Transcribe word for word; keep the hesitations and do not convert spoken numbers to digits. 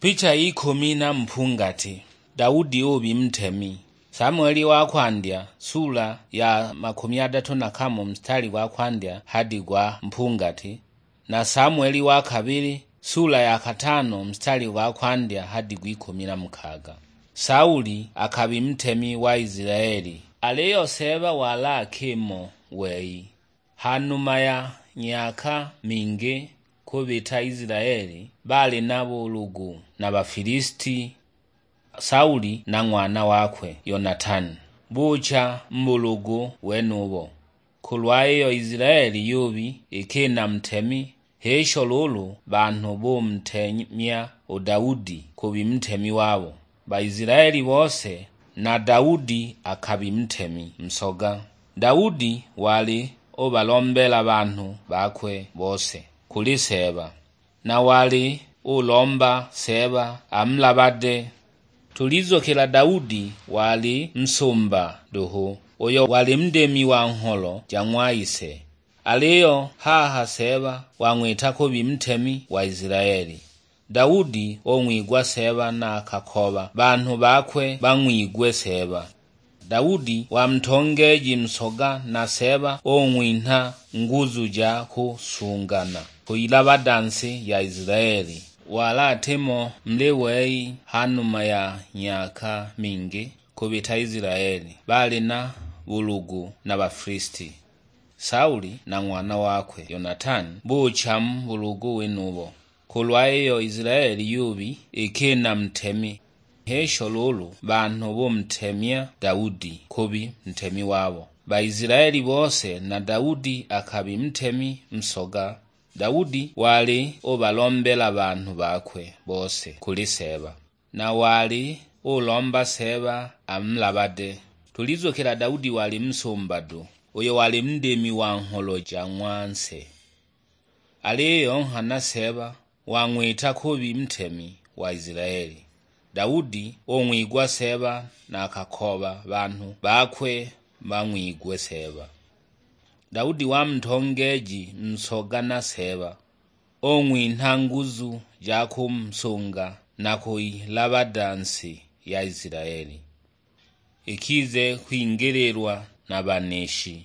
Picha ikumi na mpungati. Daudi ubi ntemi. Samueli wa kwandya, sula ya makumi adatu na kamo, mstari gwa kwandya hadi gwa mpungati, na Samueli wa kabili, sula ya katano, mstari gwa kwandya hadi gw'ikumi na mukaga. Sauli akabi ntemi wa Isilaeli, aliyo Seeba wali akimo wei. Ha numa ya myaka mingi kubita Isilaeli baali na bulugu na Bafilisti, Sauli na ng'wana wakwe Yonatani bucha mu bulugu wenubo. Kulwa iyo Isilaeli yubi iki na ntemi, h'isho luulu banhu bumutemya u Daudi kubi ntemi wabo. Baisilaeli bose, na Daudi akabi ntemi nsoga. Daudi wali ubalombela banhu bakwe bose kuli Seeba, na wali ulomba Seeba amulabade. Tulizukila Daudi wali nsumba duhu, uyo wali ndimi wa ngholo ja ng'wa ise. Aliyo haha Seeba wang'wita kubi ntemi wa Isilaeli. Daudi ung'wigwa Seeba na akakoba banhu bakwe bang'wigwe Seeba. Daudi wa mutongeeji nsoga na Seeba ung'winha nguzu ja kusungana kuyilabada nsi ya Isilaeli. Wali atimo muli wei ha numa ya myaka mingi kubita Isilaeli baali na bulugu na Bafilisti. Sauli na ng'wana wakwe Yonatani bucha mu bulugu wenubo. Kulwa iyo Isilaeli yubi iki na ntemi, h'isho luulu banhu bumutemya Daudi kubi ntemi wabo. Baisilaeli bose, na Daudi akabi ntemi nsoga. Daudi wali ubalombela banhu bakwe bose kuli Seeba, na wali ulomba Seeba amulabade. Tulizukila Daudi wali nsumba du, uyo wali ndimi wa ngholo ja ng'wa nse. Aliyo nghana Seeba wang'wita kubi ntemi wa Isilaeli. Daudi ung'wigwa Seeba na akakoba banhu bakwe bang'wigwe Seeba. Daudi wa mutongeeji nsoga na Seeba, ung'winha nguzu ja kumsunga na kuyilabada nsi ya Isilaeli ikize kwingililwa na banishi.